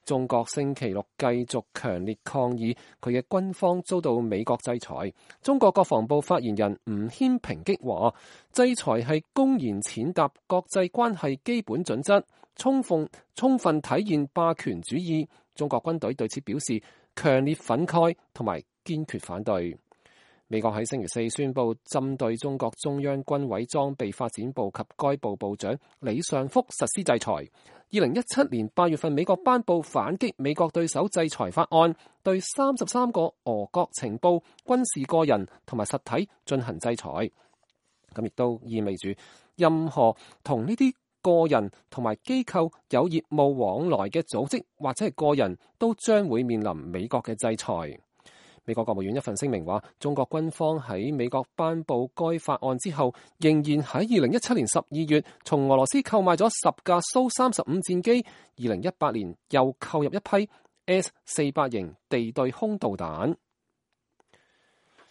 中國星期六繼續強烈抗議佢嘅軍方遭到美國制裁。中國國防部發言人吳謙抨擊話，制裁係公然踐踏國際關係基本準則，充分體現霸權主義。中國軍隊對此表示強烈憤慨同埋堅決反對。美國喺星期四宣布針對中國中央軍委裝備發展部及該部部長李尚福實施制裁。2017年8月份，美國頒布反擊美國對手制裁法案，對33個俄國情報、軍事個人同埋實體進行制裁。咁亦都意味住任何同呢啲個人同埋機構有業務往來嘅組織或者係個人都將會面臨美國嘅制裁。美國國務院一份聲明話，中國軍方喺美國頒布該法案之後，仍然喺2017年12月從俄羅斯購買咗10架蘇35戰機，2018年又購入一批 S-400型地對空導彈。